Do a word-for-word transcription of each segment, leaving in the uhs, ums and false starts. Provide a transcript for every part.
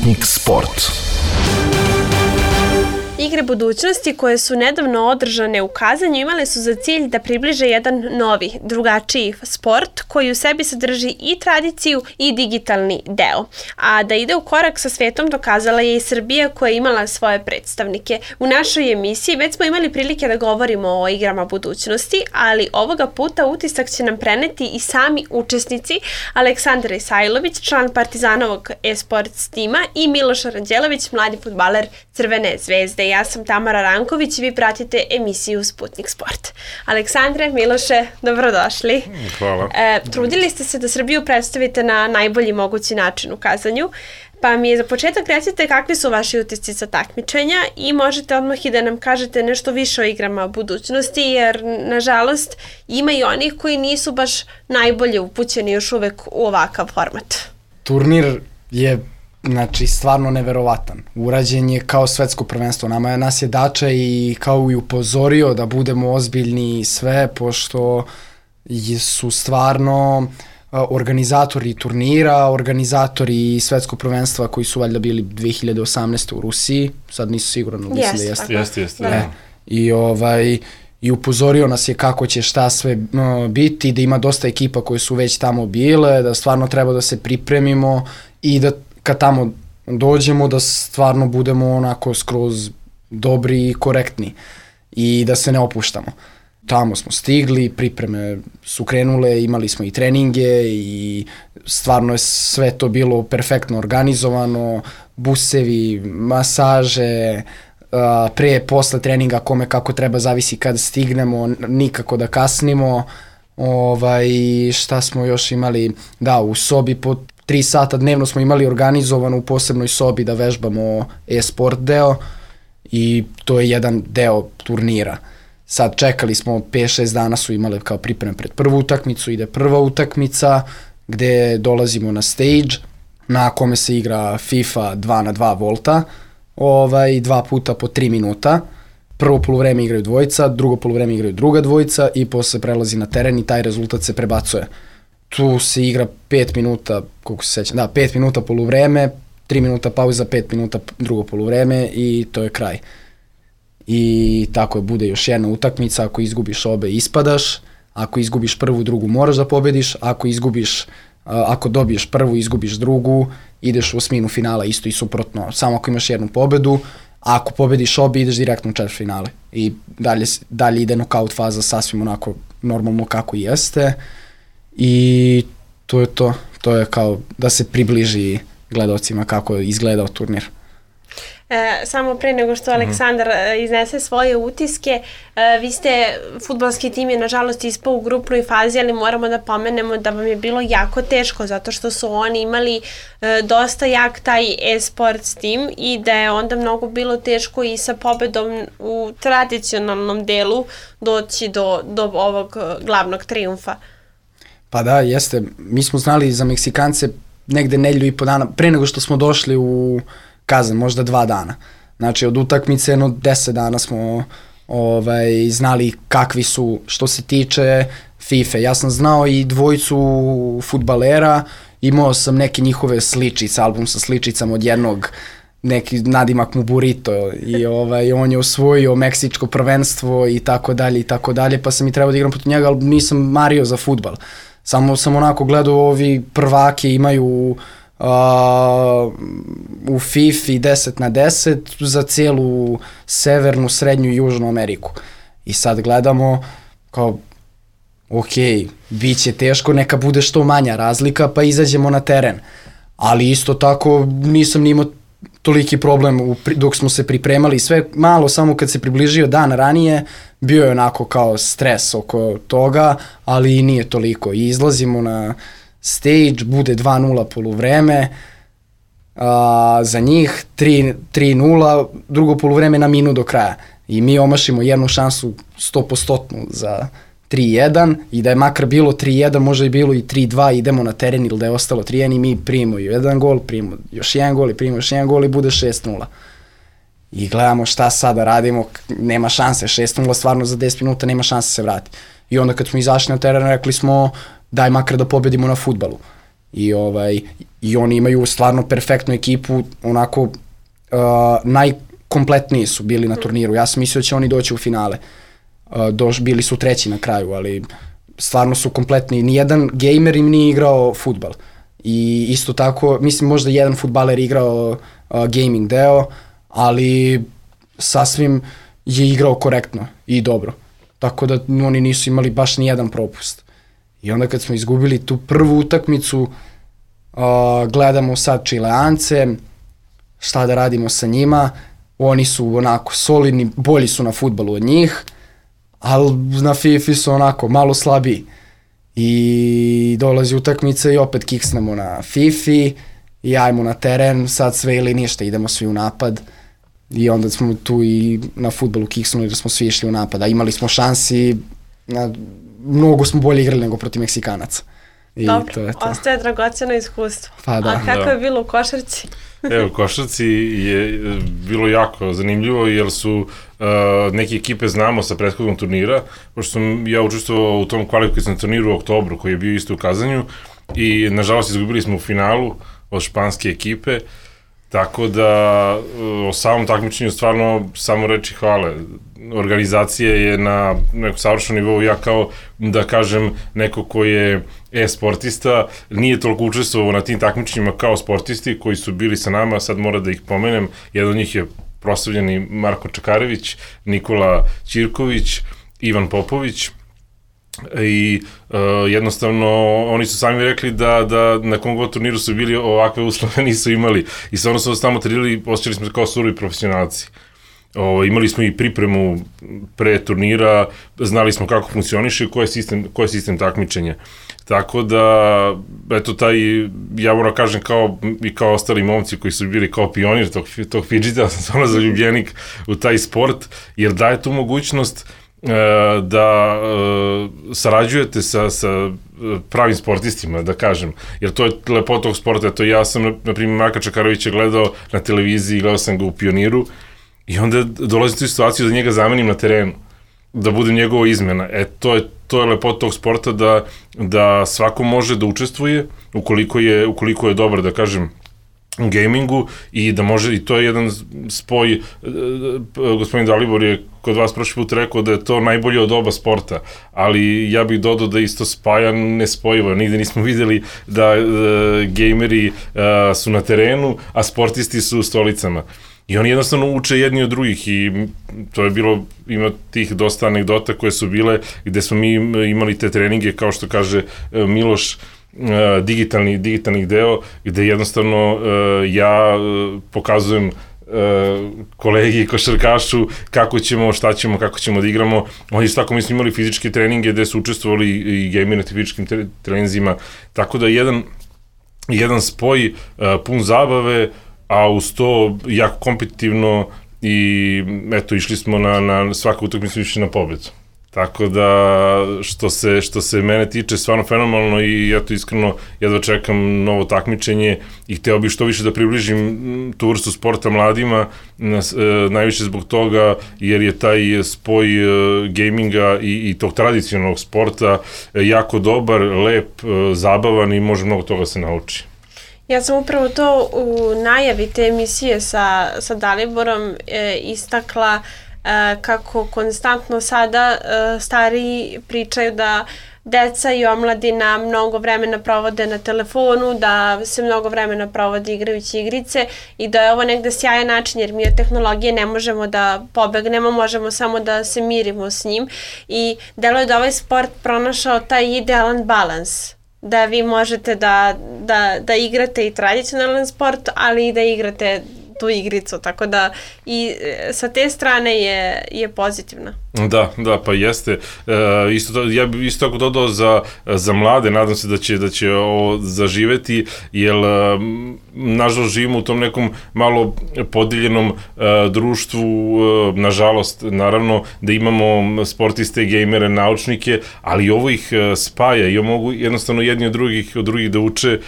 Sputnik Sport. Igre budućnosti koje su nedavno održane u Kazanju imale su za cilj da približe jedan novi, drugačiji sport koji u sebi sadrži i tradiciju i digitalni deo. A da ide u korak sa svetom dokazala je i Srbija koja je imala svoje predstavnike. U našoj emisiji već smo imali prilike da govorimo o igrama budućnosti, ali ovoga puta utisak će nam preneti i sami učesnici Aleksandar Isajlović, član Partizanovog e-sports tima, i Miloš Aranđelović, mladi fudbaler Crvene zvezde. Ja sam Tamara Ranković i vi pratite emisiju Sputnik Sport. Aleksandre, Miloše, dobrodošli. Hvala. E, trudili ste se da Srbiju predstavite na najbolji mogući način u Kazanju, pa mi je za početak recite kakvi su vaši utisci sa takmičenja i možete odmah i da nam kažete nešto više o igrama budućnosti, jer nažalost ima i onih koji nisu baš najbolje upućeni još uvek u ovakav format. Turnir je znači stvarno neverovatan. Urađen je kao svetsko prvenstvo. Nama nas je Dača i kao i upozorio da budemo ozbiljni i sve, pošto su stvarno organizatori turnira, organizatori svetskog prvenstva koji su valjda bili dve hiljade osamnaeste. u Rusiji, sad nisu siguran, mislim yes, da jeste. Jeste, jeste. E, I ovaj i upozorio nas je kako će šta sve no, biti, da ima dosta ekipa koje su već tamo bile, da stvarno treba da se pripremimo i da kad tamo dođemo da stvarno budemo onako skroz dobri i korektni i da se ne opuštamo. Tamo smo stigli, pripreme su krenule, imali smo i treninge i stvarno je sve to bilo perfektno organizovano, busevi, masaže, pre, posle treninga kome kako treba, zavisi kad stignemo, nikako da kasnimo. Ovaj, šta smo još imali? Da, u sobi po tri sata dnevno smo imali organizovano u posebnoj sobi da vežbamo e-sport deo i to je jedan deo turnira. Sad čekali smo, pet šest dana su imale kao pripreme pred prvu utakmicu, ide prva utakmica gde dolazimo na stage na kome se igra FIFA dva na dva volta, ovaj, dva puta po tri minuta. Prvo poluvreme igraju dvojica, drugo poluvreme igraju druga dvojica i posle prelazi na teren i taj rezultat se prebacuje. Tu se igra pet minuta, koliko se sećam, da, pet minuta poluvreme, tri minuta pauza, pet minuta drugo poluvreme i to je kraj. I tako je, bude još jedna utakmica, ako izgubiš obe ispadaš, ako izgubiš prvu, drugu moraš da pobediš, ako izgubiš, ako dobiješ prvu, izgubiš drugu, ideš u osminu finala, isto i suprotno, samo ako imaš jednu pobedu, a ako pobediš obe ideš direktno u četvrtfinale i dalje, dalje ide nokaut faza sasvim onako normalno kako i jeste. I to je to, to je kao da se približi gledalcima kako je izgledao turnir. E, samo pre nego što Aleksandar mm. iznese svoje utiske, e, vi ste, fudbalski tim je nažalost ispao u grupnoj fazi, ali moramo da pomenemo da vam je bilo jako teško zato što su oni imali e, dosta jak taj e-sports tim i da je onda mnogo bilo teško i sa pobedom u tradicionalnom delu doći do, do ovog glavnog trijumfa. Pa da, jeste. Mi smo znali za Meksikance negde nedelju i po dana, pre nego što smo došli u Kazan, možda dva dana. Znači od utakmice jedno deset dana smo ovaj, znali kakvi su što se tiče FIFA. Ja sam znao i dvojicu fudbalera, imao sam neke njihove sličice, album sa sličicama od jednog, neki nadimak mu Burrito i ovaj, on je osvojio meksičko prvenstvo i tako dalje i tako dalje, pa sam i trebao da igram protiv njega, ali nisam mario za fudbal. Samo sam onako gledao, ovi prvake imaju uh, u FIFA deset na deset za cijelu severnu, srednju i južnu Ameriku. I sad gledamo kao, ok, bit će teško, neka bude što manja razlika, pa izađemo na teren. Ali isto tako nisam ni imao toliki problem u, dok smo se pripremali, sve malo samo kad se približio dan ranije, bio je onako kao stres oko toga, ali nije toliko. I izlazimo na stage, bude dva nula poluvreme, a, za njih tri nula, drugo poluvreme na minut do kraja. I mi omašimo jednu šansu sto posto za tri jedan i da je makar bilo tri jedan, možda je bilo i tri dva, idemo na teren ili da je ostalo tri jedan i mi primimo jedan gol, primimo još jedan gol i primimo još jedan gol i bude šest nula. I gledamo šta sada radimo, nema šanse, šest nula stvarno za deset minuta nema šanse se vrati. I onda kad smo izašli na teren rekli smo daj makar da pobedimo na fudbalu. I, ovaj, i oni imaju stvarno perfektnu ekipu, onako uh, najkompletniji su bili na turniru. Ja sam mislio da će oni doći u finale. Uh, doš, bili su treći na kraju, ali stvarno su kompletni. Nijedan gamer im nije igrao fudbal. I isto tako, mislim možda jedan fudbaler igrao uh, gaming deo, ali sasvim je igrao korektno i dobro. Tako da oni nisu imali baš nijedan propust. I onda kad smo izgubili tu prvu utakmicu, uh, gledamo sad Čileance, šta da radimo sa njima. Oni su onako solidni, bolji su na fudbalu od njih, ali na FIFA su onako malo slabiji. I dolazi utakmica i opet kiksnemo na FIFA i ajmo na teren, sad sve ili ništa, idemo svi u napad. I onda smo tu i na fudbalu kiksnuli da smo svi išli u napad, a imali smo šansi, na, mnogo smo bolje igrali nego protiv Meksikanaca. I dobro, to je to. Ostaje dragoceno iskustvo. Pa da. A kako da. je bilo u košarci? Evo, u košarci je bilo jako zanimljivo jer su uh, neke ekipe znamo sa prethodnog turnira, pošto sam ja učestvovao u tom kvalifikacijnom turniru u oktobru koji je bio isto u Kazanju i nažalost izgubili smo u finalu od španske ekipe, tako da uh, o samom takmičenju stvarno samo reći hvale. Organizacija je na nekom savršenom nivou, ja kao da kažem neko ko je e-sportista, nije toliko učestvovao na tim takmičenjima kao sportisti koji su bili sa nama, sad mora da ih pomenem, jedan od njih je proslavljeni Marko Čakarević, Nikola Ćirković, Ivan Popović i uh, jednostavno oni su sami rekli da, da na kom god turniru su bili ovakve uslove nisu imali i stvarno su tamo trenirali, osjećali smo se kao surovi profesionalci. O, imali smo i pripremu pre turnira, znali smo kako funkcioniše i koji je sistem, koji je sistem takmičenja. Tako da, eto, taj, ja moram kažem, kao, i kao ostali momci koji su bili kao pionir tog, tog fidžita, sam stvarno zaljubljenik u taj sport, jer daje tu mogućnost e, da e, sarađujete sa, sa pravim sportistima, da kažem, jer to je lepota tog sporta. Eto, ja sam, na primjer, Marka Čakarovića gledao na televiziji, gledao sam ga u Pioniru, i onda dolazim u situaciju da njega zamenim na terenu, da budem njegova izmena. E, to je, to je lepota tog sporta, da, da svako može da učestvuje, ukoliko je, ukoliko je dobar, da kažem, u gamingu, i da može, i to je jedan spoj, gospodin Dalibor je kod vas prošli put rekao da je to najbolje od oba sporta, ali ja bih dodao da isto spaja nespojivo, nigde nismo videli da uh, gameri uh, su na terenu, a sportisti su u stolicama. I oni jednostavno uče jedni od drugih i to je bilo, ima tih dosta anegdota koje su bile gde smo mi imali te treninge, kao što kaže Miloš, digitalni, digitalni deo, gde jednostavno ja pokazujem kolegi košarkašu kako ćemo, šta ćemo, kako ćemo da igramo. Oni su tako, mi smo imali fizičke treninge gde su učestvovali i gameri na fizičkim treninzima, tako da jedan, jedan spoj pun zabave, a uz to jako kompetitivno i eto, išli smo na, na svaku utakmicu išli na pobedu. Tako da, što se, što se mene tiče, stvarno fenomenalno i ja to iskreno jedva čekam novo takmičenje i hteo bih što više da približim tu vrstu sporta mladima, najviše zbog toga jer je taj spoj gaminga i, i tog tradicionalnog sporta jako dobar, lep, zabavan i može mnogo toga se nauči. Ja sam upravo to u najavi te emisije sa, sa Daliborom e, istakla e, kako konstantno sada e, stariji pričaju da deca i omladina mnogo vremena provode na telefonu, da se mnogo vremena provode igrajući igrice i da je ovo negde sjajan način jer mi od tehnologije ne možemo da pobegnemo, možemo samo da se mirimo s njim i delo je da ovaj sport pronašao taj idealan balans. Da vi možete da, da, da igrate i tradicionalan sport, ali i da igrate tu igricu, tako da i sa te strane je, je pozitivna. Da, da, pa jeste. E, isto to, ja bih isto tako dodao za, za mlade, nadam se da će, da će ovo zaživeti, jer nažalost živimo u tom nekom malo podeljenom e, društvu, e, nažalost, naravno, da imamo sportiste, gejmere, naučnike, ali ovo ih spaja i mogu jednostavno jedni od drugih, od drugih da uče,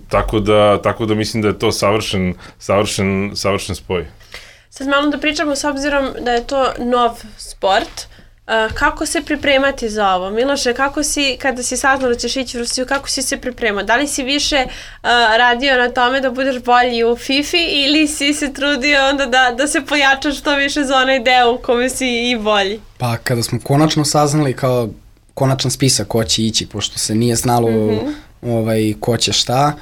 tako da, tako da mislim da je to savršen, savršen, savršen spoj. Sad malo da pričamo s obzirom da je to nov sport. Uh, kako se pripremati za ovo? Miloše, kako si, kada si saznao da ćeš ići u Rusiju, kako si se pripremao? Da li si više uh, radio na tome da budeš bolji u FIFA ili si se trudio onda da, da se pojačaš što više za onaj deo u kome si i bolji? Pa kada smo konačno saznali kao konačan spisak ko će ići, pošto se nije znalo mm-hmm. ovaj, ko će šta,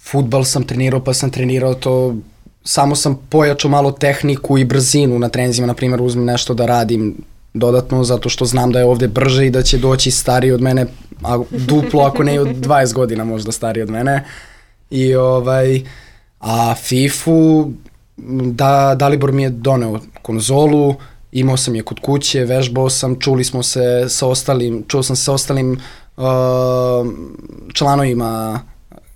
fudbal sam trenirao pa sam trenirao to, samo sam pojačao malo tehniku i brzinu na treninzima, na primjer uzmem nešto da radim dodatno, zato što znam da je ovde brže i da će doći stariji od mene, a duplo ako ne i od dvadeset godina možda stariji od mene. I ovaj, a FIFU, da, Dalibor mi je doneo konzolu, imao sam je kod kuće, vežbao sam, čuli smo se sa ostalim, čuo sam se sa ostalim uh, članovima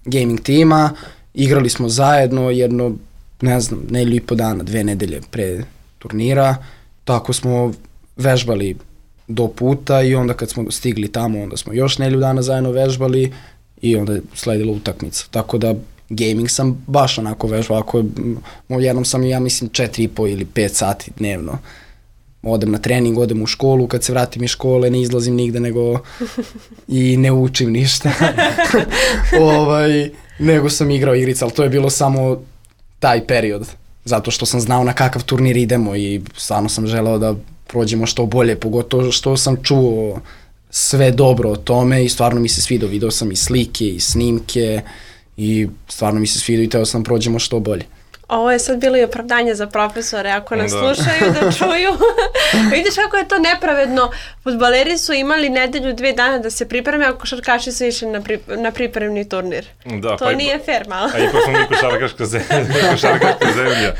gaming tima, igrali smo zajedno jedno, ne znam, nedelju i po dana, dve nedelje pre turnira, tako smo vežbali do puta i onda kad smo stigli tamo, onda smo još nedelju dana zajedno vežbali i onda je sledila utakmica. Tako da gaming sam baš onako vežbao, ako jednom sam ja mislim četiri i po ili pet sati dnevno. Odem na trening, odem u školu, kad se vratim iz škole ne izlazim nigde nego i ne učim ništa. ovaj, nego sam igrao igrice, ali to je bilo samo taj period, zato što sam znao na kakav turnir idemo i stvarno sam želeo da prođemo što bolje, pogotovo što sam čuo sve dobro o tome i stvarno mi se svidao, video sam i slike i snimke i stvarno mi se svidao i teo sam prođemo što bolje. Ovo je sad bilo i opravdanje za profesore ako nas da. slušaju da čuju. Vidiš kako je to nepravedno. Fudbaleri su imali nedelju, dve dana da se pripreme, a košarkaši su išli na, pri, na pripremni turnir. Da, to pa nije ipa, fair malo. A ipak smo mi košarkaška zemlja. Košarkaška zemlja.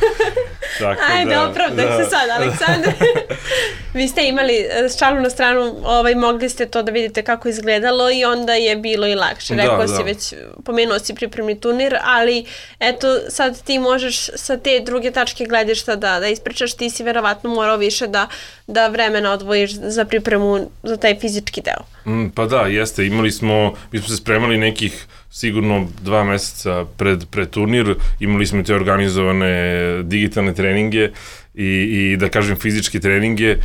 Tako Ajde, da, opravdaj da. se sad, Aleksandar. Vi ste imali šalu na stranu, ovaj, mogli ste to da vidite kako izgledalo i onda je bilo i lakše. Rekao da, si da. već, pomenuo si pripremni turnir, ali eto sad ti možeš sa te druge tačke gledišta da, da ispričaš, ti si verovatno morao više da, da vremena odvojiš za pripremu za taj fizički deo. Mm, pa da, jeste, imali smo, mi smo se spremali nekih sigurno dva meseca pred, pred turnir, imali smo te organizovane digitalne treninge i, i da kažem fizičke treninge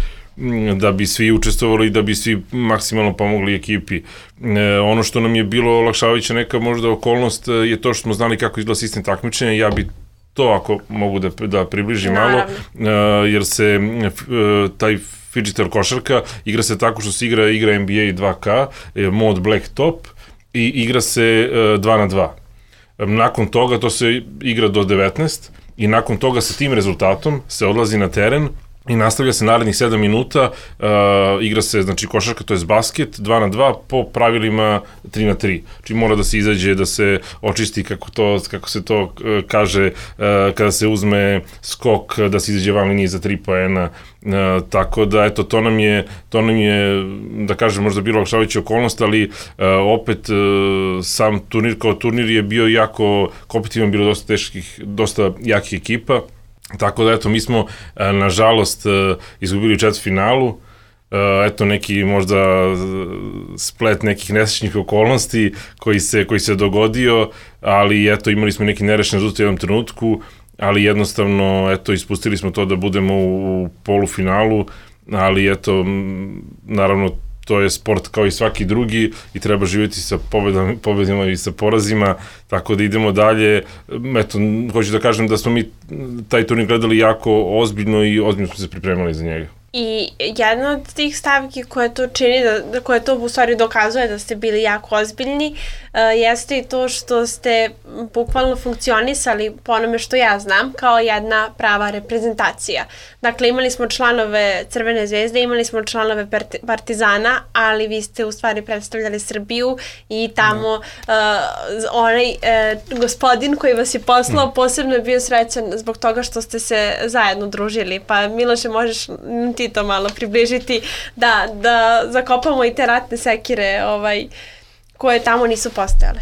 da bi svi učestvovali i da bi svi maksimalno pomogli ekipi. E, ono što nam je bilo olakšavajuća neka možda okolnost je to što smo znali kako izgleda sistem takmičenja. Ja bi to ako mogu da, da približim malo, e, jer se e, taj fidgeter košarka igra se tako što se igra igra N B A dva K, e, mod Black Top i igra se e, dva na dva. E, nakon toga to se igra do devetnaest i nakon toga sa tim rezultatom se odlazi na teren i nastavlja se narednih sedam minuta, uh, igra se, znači, košarka, to je basket, dva na dva, po pravilima tri na tri. Znači, mora da se izađe, da se očisti, kako, to, kako se to uh, kaže, uh, kada se uzme skok, da se izađe van linije za tri poena. Uh, tako da, eto, to nam je, to nam je, da kažem, možda bilo olakšavajuća okolnost, ali uh, opet uh, sam turnir kao turnir je bio jako kompetitivan, bilo dosta teških, dosta jakih ekipa. Tako da, eto, mi smo, nažalost, izgubili u četvrtfinalu, eto, neki možda splet nekih nesrećnih okolnosti koji se, koji se dogodio, ali, eto, imali smo neki nerešen rezultat u jednom trenutku, ali jednostavno, eto, ispustili smo to da budemo u polufinalu, ali, eto, naravno, to je sport kao i svaki drugi i treba živjeti sa pobedama, pobedima i sa porazima, tako da idemo dalje. Eto, hoću da kažem da smo mi taj turnir gledali jako ozbiljno i ozbiljno smo se pripremali za njega. I jedna od tih stavki koja to čini, da, da koja to u stvari dokazuje da ste bili jako ozbiljni, uh, jeste i to što ste bukvalno funkcionisali, po onome što ja znam, kao jedna prava reprezentacija. Dakle, imali smo članove Crvene zvezde, imali smo članove Partizana, ali vi ste u stvari predstavljali Srbiju i tamo uh, onaj uh, gospodin koji vas je poslao posebno je bio srećan zbog toga što ste se zajedno družili. Pa Miloše, možeš ti to malo približiti, da, da zakopamo i te ratne sekire ovaj, koje tamo nisu postojale.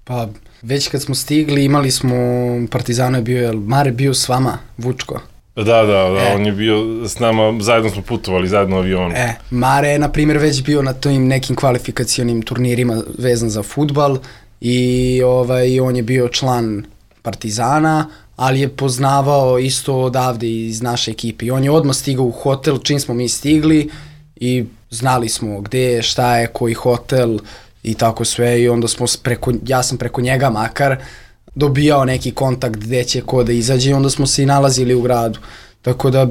Pa već kad smo stigli imali smo, Partizano je bio, jel Mare bio s vama, Vučko? Da, da, da, e. on je bio s nama, zajedno smo putovali, zajedno u avionu. E, Mare je, na primjer, već bio na tim nekim kvalifikacionim turnirima vezan za fudbal i ovaj, on je bio član Partizana, ali je poznavao isto odavde iz naše ekipe. I on je odmah stigao u hotel čim smo mi stigli i znali smo gde je, šta je, koji hotel i tako sve i onda smo preko, ja sam preko njega makar dobijao neki kontakt gde će ko da izađe i onda smo se i nalazili u gradu. Tako da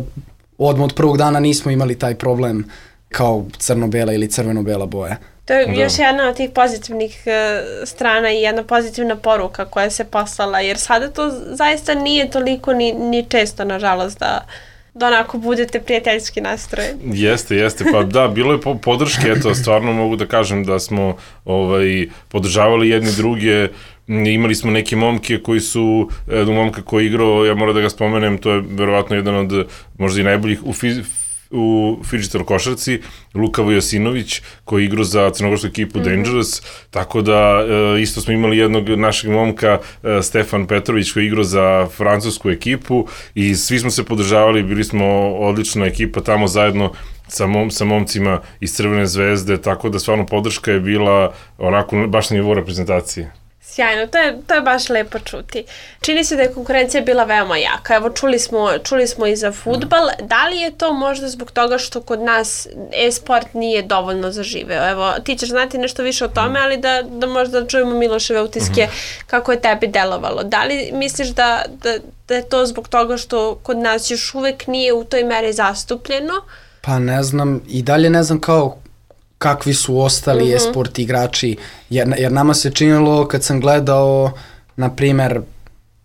odmah od prvog dana nismo imali taj problem kao crno-bela ili crveno-bela boja. To je da. Još jedna od tih pozitivnih uh, strana i jedna pozitivna poruka koja se poslala, jer sada to zaista nije toliko ni, ni često, nažalost, da, da onako budete prijateljski nastrojeni. Jeste, jeste, pa da, bilo je po, podrške, eto, stvarno mogu da kažem da smo ovaj, podržavali jedni druge, imali smo neke momke koji su, jedan momka koji je igrao, ja moram da ga spomenem, to je verovatno jedan od možda i najboljih u fiz, u fidžital košarci, Luka Vojosinović, koji je igrao za crnogorsku ekipu mm-hmm. Dangerous, tako da e, isto smo imali jednog našeg momka, e, Stefan Petrović, koji je igrao za francusku ekipu i svi smo se podržavali, bili smo odlična ekipa tamo zajedno sa, mom, sa momcima iz Crvene zvezde, tako da stvarno podrška je bila onako baš na nivou reprezentacije. Sjajno, to je, to je baš lepo čuti. Čini se da je konkurencija bila veoma jaka. Evo, čuli smo, čuli smo i za fudbal. Da li je to možda zbog toga što kod nas e-sport nije dovoljno zaživeo? Evo, ti ćeš znati nešto više o tome, ali da, da možda čujemo Miloševe utiske kako je tebi delovalo. Da li misliš da, da, da je to zbog toga što kod nas još uvek nije u toj meri zastupljeno? Pa ne znam, i dalje ne znam kao kakvi su ostali mm-hmm. e-sport igrači, jer, jer nama se činilo kad sam gledao, na primer,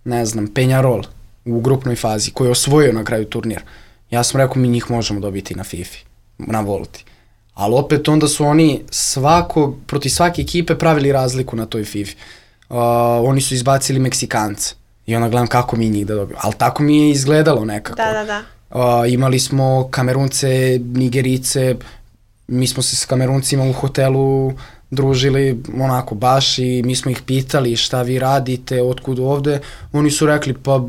ne znam, Penjarol u grupnoj fazi, koji je osvojio na kraju turnir. Ja sam rekao, mi njih možemo dobiti na FIFA, na Volti. Ali opet onda su oni svako, proti svake ekipe pravili razliku na toj FIFA. Uh, oni su izbacili Meksikance i onda gledam kako mi njih da dobiju. Ali tako mi je izgledalo nekako. Da, da, da. Uh, imali smo Kamerunce, Nigerice, mi smo se s Kameruncima u hotelu družili onako baš i mi smo ih pitali šta vi radite, otkud ovde. Oni su rekli pa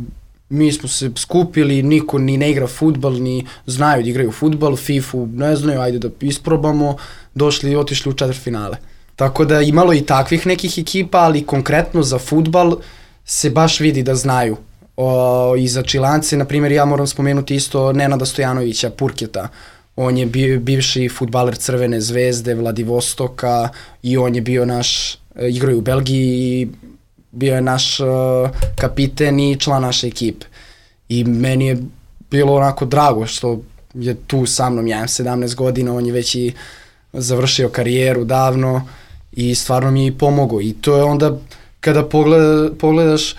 mi smo se skupili, niko ni ne igra fudbal, ni znaju da igraju fudbal, fifu ne znaju, ajde da isprobamo, došli i otišli u četvrtfinale. Tako da imalo i takvih nekih ekipa, ali konkretno za fudbal se baš vidi da znaju. O, i za Čilance, na primjer, ja moram spomenuti isto Nenada Stojanovića, Purketa. On je bio bivši fudbaler Crvene zvezde, Vladivostoka i on je bio naš, igrao je u Belgiji i bio je naš uh, kapiten i član naše ekipe. I meni je bilo onako drago što je tu sa mnom, ja imam sedamnaest godina, on je već i završio karijeru davno i stvarno mi je i pomogao. I to je onda, kada pogleda, pogledaš,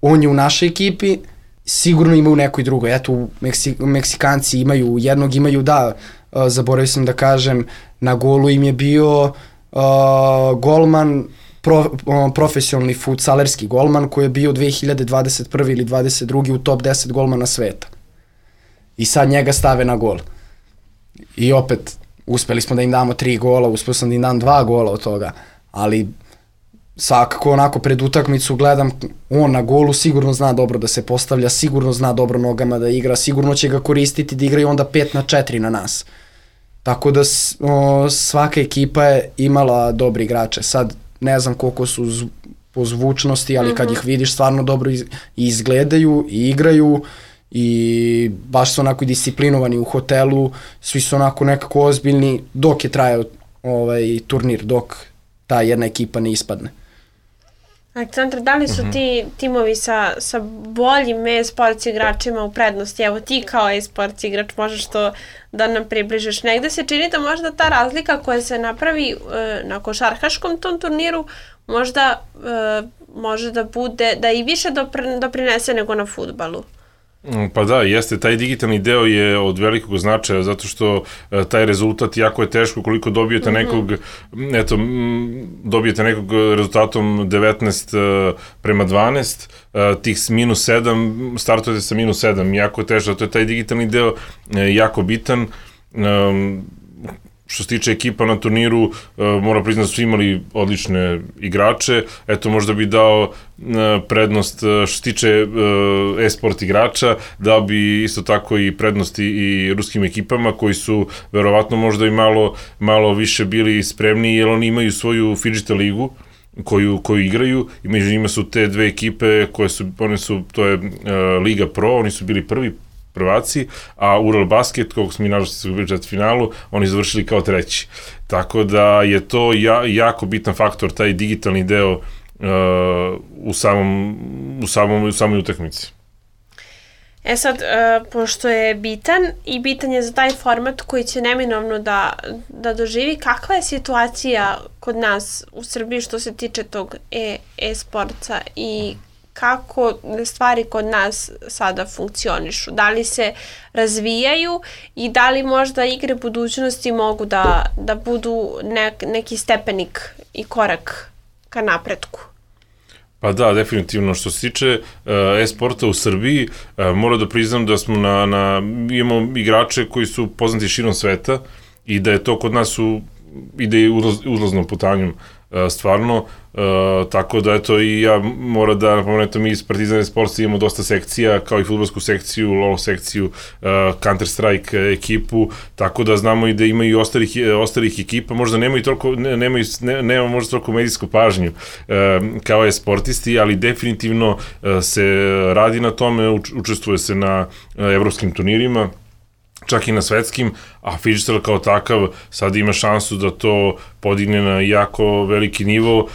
on je u našoj ekipi, sigurno ima u nekoj drugoj. Eto, Meksik, Meksikanci imaju, jednog imaju, da, uh, zaboravio sam da kažem, na golu im je bio uh, golman, pro, uh, profesionalni futsalerski golman koji je bio dve hiljade dvadeset prve ili dvadeset druge u top deset golmana sveta. I sad njega stave na gol. I opet, uspeli smo da im damo tri gola, uspeo sam da im dam dva gola od toga, ali svakako onako pred utakmicu gledam, on na golu sigurno zna dobro da se postavlja, sigurno zna dobro nogama da igra, sigurno će ga koristiti da igra i onda pet na četiri na nas. Tako da o, svaka ekipa je imala dobri igrače. Sad ne znam koliko su z, po zvučnosti, ali kad ih vidiš stvarno dobro iz, izgledaju i igraju i baš su onako disciplinovani u hotelu, svi su onako nekako ozbiljni dok je trajao ovaj turnir, dok ta jedna ekipa ne ispadne. Aleksandar, da li su ti timovi sa, sa boljim e-sports igračima u prednosti? Evo ti kao e-sports igrač možeš to da nam približiš. Negde se čini da možda ta razlika koja se napravi e, na košarkaškom tom turniru možda e, može da bude, da i više dopr, doprinese nego na fudbalu. Pa da, jeste, taj digitalni deo je od velikog značaja, zato što e, taj rezultat jako je teško koliko dobijete nekog, mm-hmm. eto, m, dobijete nekog rezultatom devetnaest e, prema dvanaest, e, tih minus sedam, startujete sa minus sedam, jako je teško, to je taj digitalni deo e, jako bitan. E, Što se tiče ekipa na turniru, uh, mora priznati da su imali odlične igrače. Eto, možda bi dao uh, prednost uh, što se tiče uh, e-sport igrača, dao bi isto tako i prednosti i ruskim ekipama koji su verovatno možda i malo, malo više bili spremni, jer oni imaju svoju Fidžital ligu koju, koju igraju i među njima su te dve ekipe koje su, one su, to je uh, Liga Pro, oni su bili prvi prvaci, a Ural Basket, kog smo mi nažalost izgubili četvrtfinalu, oni završili kao treći. Tako da je to ja, jako bitan faktor, taj digitalni deo uh, u, samom, u, samom, u samoj utakmici. E sad, uh, pošto je bitan i bitan je za taj format koji će neminovno da, da doživi, kakva je situacija kod nas u Srbiji što se tiče tog e, e-sporta i kako stvari kod nas sada funkcionišu? Da li se razvijaju i da li možda igre budućnosti mogu da, da budu nek, neki stepenik i korak ka napretku? Pa da, definitivno. Što se tiče uh, e-sporta u Srbiji, uh, moram da priznam da smo na, na, imamo igrače koji su poznati širom sveta i da je to kod nas u, ide uzlaz, uzlaznom putanjom uh, stvarno, uh, tako da eto i ja moram da napomenem, mi iz Partizan e-sporta imamo dosta sekcija, kao i fudbalsku sekciju, LoL sekciju, uh, Counter-Strike ekipu, tako da znamo i da imaju i ostalih, ostalih ekipa, možda nemaju toliko, ne, nemaju, ne, nema možda toliko medijsku pažnju uh, kao je sportisti, ali definitivno uh, se radi na tome, uč, učestvuje se na uh, evropskim turnirima, čak i na svetskim, a Phygital kao takav sad ima šansu da to podigne na jako veliki nivo, uh,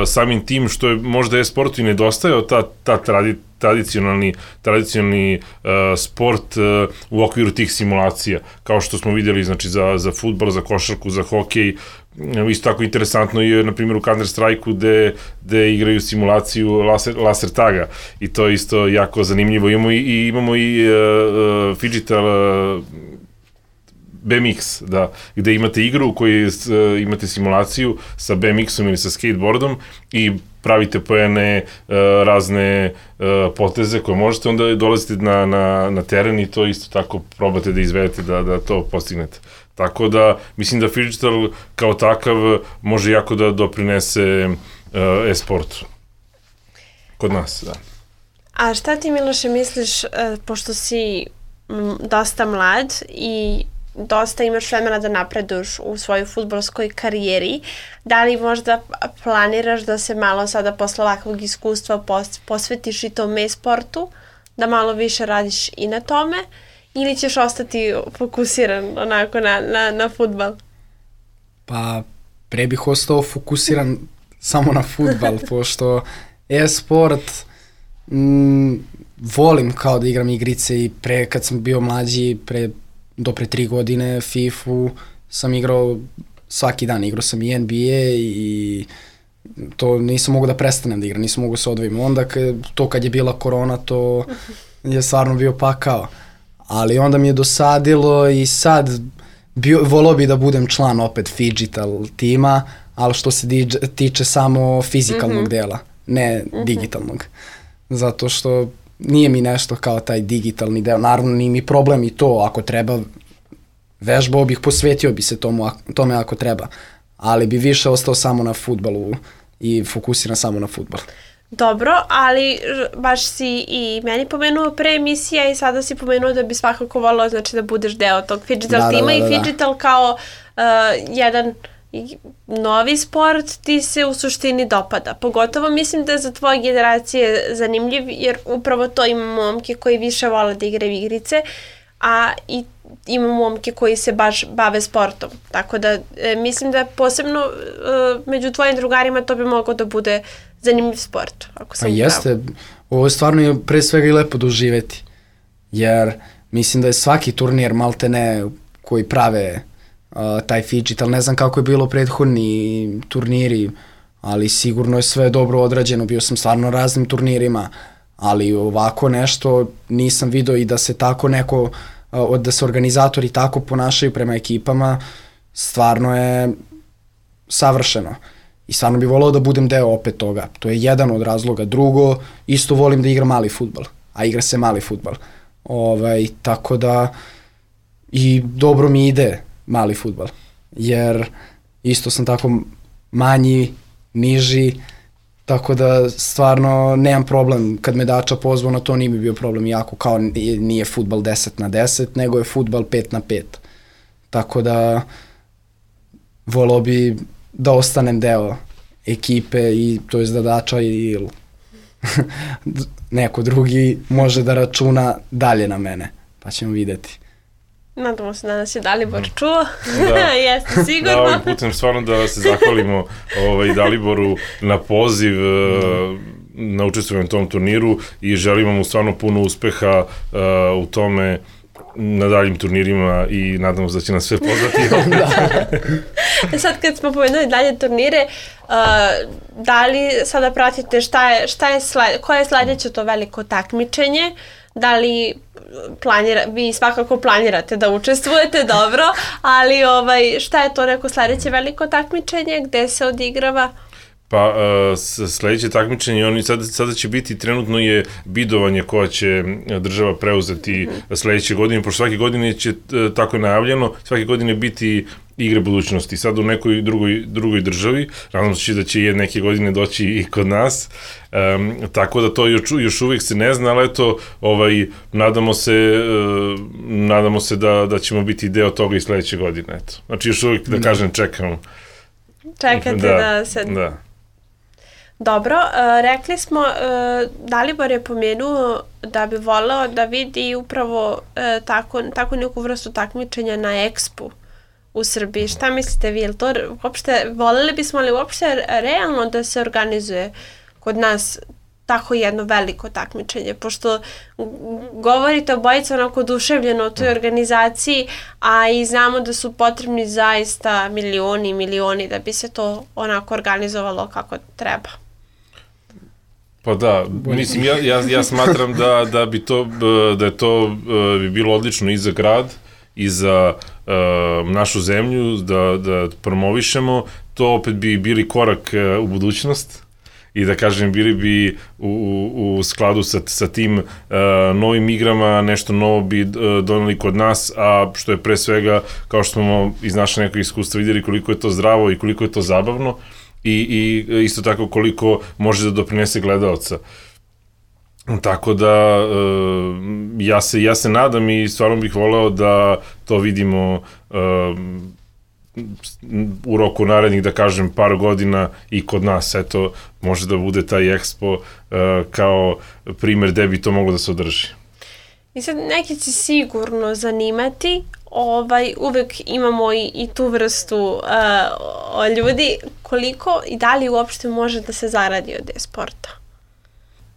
samim tim što je možda e-sportu i nedostajao ta, ta tradi, tradicionalni, tradicionalni uh, sport uh, u okviru tih simulacija, kao što smo vidjeli znači, za, za fudbal, za košarku, za hokej. Isto tako interesantno je, na primjer, u Counter-Strike-u gde, gde igraju simulaciju laser, laser taga i to je isto jako zanimljivo. Imamo i, i, imamo i uh, uh, Phygital uh, B M X, da, gde imate igru u kojoj uh, imate simulaciju sa B M X-om ili sa skateboardom i pravite poene, uh, razne uh, poteze koje možete, onda dolazite na, na, na teren i to isto tako probate da izvedete, da, da to postignete. Tako da, mislim da Phygital kao takav može jako da doprinese uh, e-sportu. Kod nas, da. A šta ti, Miloše, misliš, uh, pošto si m, dosta mlad i dosta imaš vremena da napreduješ u svojoj fudbalskoj karijeri, da li možda planiraš da se malo sada posle ovakvog iskustva pos, posvetiš i tom e-sportu, da malo više radiš i na tome, ili ćeš ostati fokusiran onako na, na, na fudbal? Pa, pre bih ostao fokusiran samo na fudbal, pošto e-sport mm, volim kao da igram igrice i pre, kad sam bio mlađi, pre, do pre tri godine fifu sam igrao svaki dan, igrao sam i N B A i to nisam mogu da prestanem da igram, nisam mogu da se odvojim. Onda to kad je bila korona, to je stvarno bio pakao. Ali onda mi je dosadilo i sad bio, volao bi da budem član opet Phygital tima, ali što se diđe, tiče samo fizikalnog mm-hmm. dela, ne mm-hmm. digitalnog. Zato što nije mi nešto kao taj digitalni deo. Naravno, nije mi problem i to, ako treba, vežbao bih, posvetio bi se tomu, tome ako treba. Ali bi više ostao samo na fudbalu i fokusiran samo na fudbal. Dobro, ali baš si i meni pomenuo pre emisija i sada si pomenuo da bi svakako volao znači da budeš deo tog Phygital da, tima da, da, da, i Phygital kao uh, jedan novi sport ti se u suštini dopada. Pogotovo mislim da je za tvoje generacije zanimljiv jer upravo to ima momke koji više vole da igraju igrice, a i ima momke koji se baš bave sportom. Tako da e, mislim da posebno e, među tvojim drugarima to bi moglo da bude zanimljiv sport. Ako sam pa jeste, ovo stvarno je pre svega i lepo doživeti. Jer mislim da je svaki turnir maltene koji prave uh, taj Phygital, ne znam kako je bilo prethodni turniri, ali sigurno je sve dobro odrađeno. Bio sam stvarno na raznim turnirima, ali ovako nešto nisam vidio i da se tako neko uh, da se organizatori tako ponašaju prema ekipama, stvarno je savršeno. I stvarno bih volao da budem deo opet toga. To je jedan od razloga. Drugo, isto volim da igram mali fudbal, a igra se mali fudbal. Ovaj, tako da i dobro mi ide mali fudbal, jer isto sam tako manji, niži, tako da stvarno nemam problem. Kad me Dača pozvao na to, nije mi bio problem jako, kao nije fudbal deset na deset, nego je fudbal pet na pet. Tako da volao bi da ostanem deo ekipe i to je da Dača ili neko drugi može da računa dalje na mene. pa ćemo videti. Nadamo se da nas je Dalibor čuo, da. Jeste sigurno. Da, ovim putem stvarno da se zahvalimo ovaj, Daliboru na poziv, uh, na učestvovanju u tom turniru i želimo mu stvarno puno uspeha uh, u tome na daljim turnirima i nadamo se da će nas sve poznati. Da. Sad kad smo pomenuli dalje turnire, uh, da li sada pratite šta je, šta je sled, koje je sledeće to veliko takmičenje? Da li planira, vi svakako planirate da učestvujete, dobro, ali ovaj, šta je to neko sledeće veliko takmičenje, gde se odigrava? Pa uh, sledeće takmičenje, oni sada, sada će biti, trenutno je bidovanje koja će država preuzeti mm-hmm. sledeće godine, pošto svake godine će, tako je najavljeno, svake godine biti igre budućnosti. Sad u nekoj drugoj, drugoj državi, nadam se da će je neke godine doći i kod nas, um, tako da to još, još uvijek se ne zna, ali eto, ovaj, nadamo se, uh, nadamo se da, da ćemo biti deo toga i sledeće godine, eto. Znači još uvijek, da kažem, čekamo. Čekate da, da se... Da. Dobro, uh, rekli smo, uh, Dalibor je pomenuo da bi voleo da vidi upravo uh, tako, tako neku vrstu takmičenja na Expu u Srbiji. Šta mislite vi? Jel to uopšte, voleli bismo li uopšte realno da se organizuje kod nas tako jedno veliko takmičenje? Pošto govorite obojica onako oduševljeno o toj organizaciji, a i znamo da su potrebni zaista milioni i milioni da bi se to onako organizovalo kako treba. Pa da, mislim, ja, ja, ja smatram da, da bi to, da je to bi bilo odlično i za grad, i za uh, našu zemlju, da, da promovišemo, to opet bi bili korak uh, u budućnost i da kažem, bili bi u, u, u skladu sa, sa tim uh, novim igrama, nešto novo bi uh, doneli kod nas, a što je pre svega, kao što smo iz naše nekog iskustva vidjeli koliko je to zdravo i koliko je to zabavno i, i isto tako koliko može da doprinese gledaoca. Tako da ja se, ja se nadam i stvarno bih voleo da to vidimo u roku narednih, da kažem, par godina i kod nas. Eto, može da bude taj Expo kao primer gde bi to moglo da se održi. I sad neki će sigurno zanimati, ovaj, uvek imamo i, i tu vrstu uh, ljudi, koliko i da li uopšte može da se zaradi od e-sporta?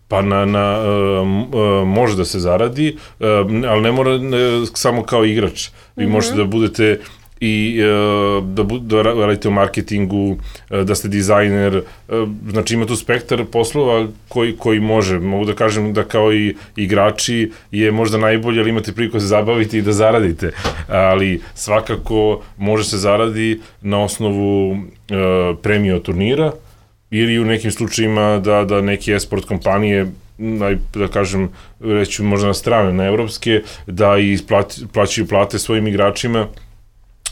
Pa na, na, uh, uh, može da se zaradi, uh, ali ne mora uh, samo kao igrač. Vi mm-hmm. možete da budete i uh, da, bu, da radite u marketingu, uh, da ste dizajner, uh, znači ima tu spektar poslova koji, koji može. Mogu da kažem da kao i igrači je možda najbolje, ali imate priliku da se zabavite i da zaradite. Ali svakako može se zaradi na osnovu uh, premije od turnira, ili u nekim slučajima da, da neke e-sport kompanije, da kažem, reću možda na strane, na evropske, da i plati, plaćaju plate svojim igračima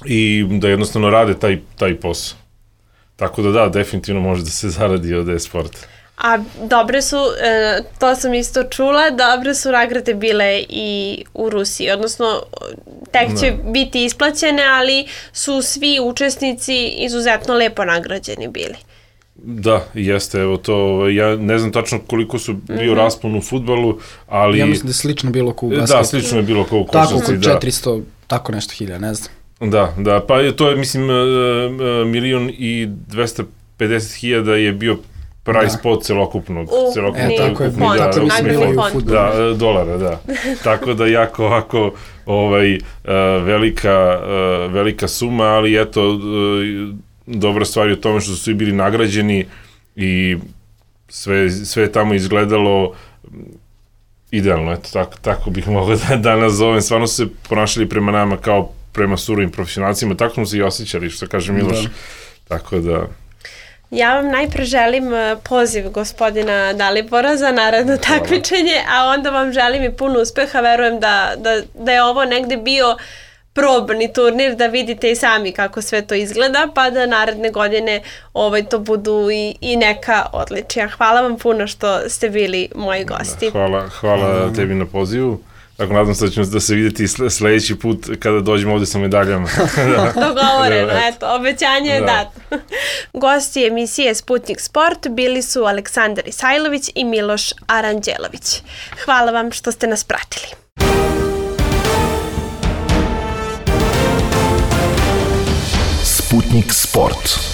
i da jednostavno rade taj, taj posao. Tako da da, definitivno može da se zaradi od e-sporta. A dobre su, to sam isto čula, dobre su nagrade bile i u Rusiji, odnosno tek će no. biti isplaćene, ali su svi učesnici izuzetno lepo nagrađeni bili. Da, jeste, evo to, ja ne znam tačno koliko su bio mm-hmm. raspon u fudbalu, ali... Ja mislim da je slično bilo kao u basketu. Da, slično je bilo kao u košarci, da. Tako, oko četiristo, tako nešto hilja, ne znam. Da, da, pa je, to je, mislim, milion i dvesta pedeset hiljada je bio price pot celokupnog. Uh, celokupnog e, tako je, fond, da, tako mislim bilo i u fudbalu. Da, dolara, da. Tako da jako ovako ovaj, velika, velika suma, ali eto, dobra stvar je u tome što su svi bili nagrađeni i sve, sve je tamo izgledalo idealno, eto, tako, tako bih mogao da, da nazovem. Stvarno su se ponašali prema nama kao prema surovim profesionalcima, tako smo se i osjećali, što kaže Miloš. Da. Tako da... Ja vam najpre želim poziv gospodina Dalibora za naredno takmičenje, a onda vam želim i puno uspeha. Verujem da, da, da je ovo negde bio probni turnir, da vidite i sami kako sve to izgleda, pa da naredne godine ovaj, to budu i, i neka odličija. Hvala vam puno što ste bili moji gosti. Hvala, hvala mm. tebi na pozivu. Tako, nadam se da ćemo da se vidjeti sledeći put kada dođemo ovde sa medaljama. Da. Dogovoreno, da, eto, obećanje je da. dato. Gosti emisije Sputnik Sport bili su Aleksandar Isajlović i Miloš Aranđelović. Hvala vam što ste nas pratili. Sputnik Sport.